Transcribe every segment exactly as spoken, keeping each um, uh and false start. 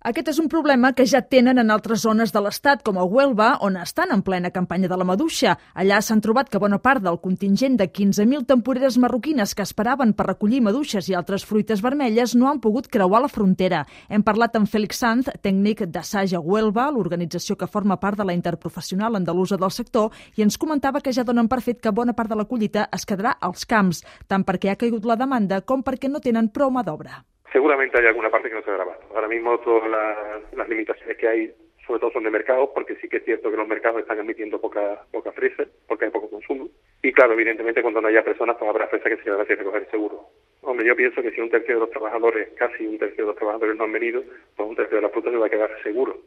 Aquest és un problema que ja tenen en altres zones de l'Estat, com a Huelva, on estan en plena campanya de la maduixa. Allà s'han trobat que bona part del contingent de quinze mil temporeres marroquines que esperaven per recollir maduixes i altres fruites vermelles no han pogut creuar la frontera. Hem parlat amb Félix Sanz, tècnic d'Assaja Huelva, l'organització que forma part de la interprofessional andalusa del sector, i ens comentava que ja donen per fet que bona part de la collita es quedarà als camps, tant perquè ha caigut la demanda com perquè no tenen prou mà d'obra. Seguramente hay alguna parte que no se ha grabado. Ahora mismo todas las, las limitaciones que hay, sobre todo son de mercado, porque sí que es cierto que los mercados están admitiendo poca, poca fresa, porque hay poco consumo. Y claro, evidentemente cuando no haya personas, pues habrá fresa que se van a tener que recoger seguro. Hombre, yo pienso que si un tercio de los trabajadores, casi un tercio de los trabajadores no han venido, pues un tercio de la fruta se va a quedar seguro.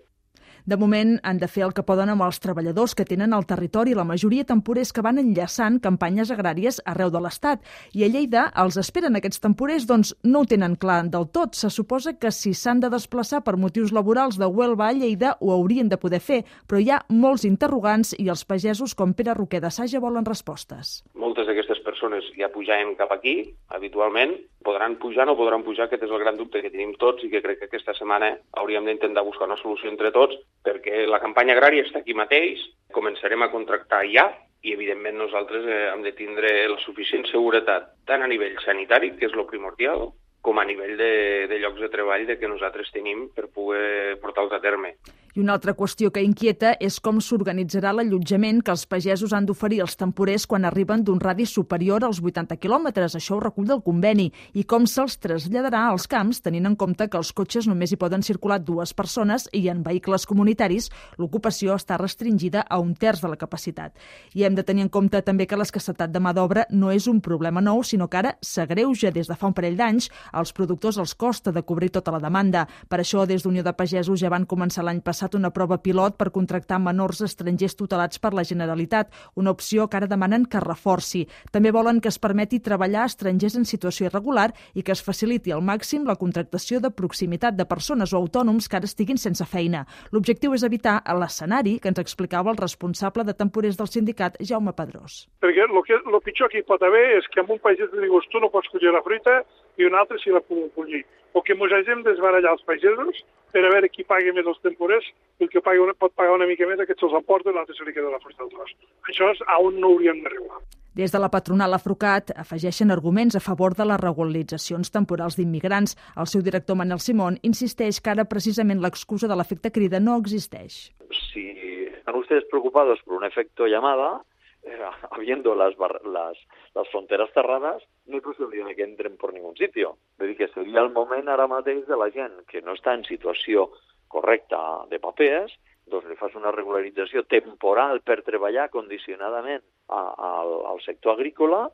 De moment, han de fer el que poden amb els treballadors que tenen al territori, la majoria temporers que van enllaçant campanyes agràries arreu de l'Estat. I a Lleida els esperen aquests temporers, doncs no ho tenen clar del tot. Se suposa que si s'han de desplaçar per motius laborals de Huelva a Lleida, ho haurien de poder fer, però hi ha molts interrogants i els pagesos com Pere Roquer d'Assaja volen respostes. Moltes d'aquestes persones ja pujaven cap aquí, habitualment, podran pujar o no podran pujar, aquest és el gran dubte que tenim tots i que crec que aquesta setmana hauríem d'intentar buscar una solució entre tots, perquè la campanya agrària està aquí mateix, començarem a contractar ja i, evidentment, nosaltres eh, hem de tindre la suficient seguretat, tant a nivell sanitari, que és el primordial, com a nivell de, de llocs de treball de que nosaltres tenim per poder portar-los a terme. I una altra qüestió que inquieta és com s'organitzarà l'allotjament que els pagesos han d'oferir als temporers quan arriben d'un radi superior als vuitanta quilòmetres. Això ho recull del conveni. I com se'ls traslladarà als camps, tenint en compte que els cotxes només hi poden circular dues persones i en vehicles comunitaris l'ocupació està restringida a un terç de la capacitat. I hem de tenir en compte també que l'escassetat de mà d'obra no és un problema nou, sinó que ara s'agreuja des de fa un parell d'anys. Als productors els costa de cobrir tota la demanda. Per això, des d'Unió de Pagesos ja van començar l'any passat una prova pilot per contractar menors estrangers tutelats per la Generalitat, una opció que ara demanen que reforci. També volen que es permeti treballar a estrangers en situació irregular i que es faciliti al màxim la contractació de proximitat de persones o autònoms que ara estiguin sense feina. L'objectiu és evitar l'escenari que ens explicava el responsable de temporers del sindicat, Jaume Pedrós. Perquè el que, lo pitjor que hi pot haver és que en un pagès li dius tu no pots collir la fruita i un altre sí la pot collir. O que ens hagin desbarallar els pagesos per a veure qui paga més els temporers i el que paga, pot pagar una mica més aquest se'ls emporta i l'altre se li queda la fruita al tros. Això és on no hauríem d'arribar. Des de la patronal Afrucat afegeixen arguments a favor de les regularitzacions temporals d'immigrants. El seu director Manel Simón insisteix que ara precisament l'excusa de l'efecte crida no existeix. Si están ustedes preocupados por un efecto llamada, Eh, habiendo las, bar las, las fronteras cerradas, no hay posibilidad de que entren por ningún sitio. Vull dir que seria el moment ara mateix de la gent que no està en situació correcta de papers, doncs li fas una regularització temporal per treballar condicionadament a, a, al sector agrícola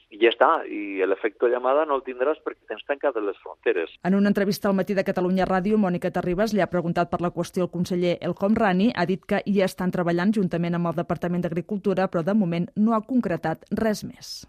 i ja està, i l'efecte llamada no el tindràs perquè tens tancades les fronteres. En una entrevista al Matí de Catalunya Ràdio, Mònica Terribas li ha preguntat per la qüestió al conseller El Homrani, ha dit que hi estan treballant juntament amb el Departament d'Agricultura, però de moment no ha concretat res més.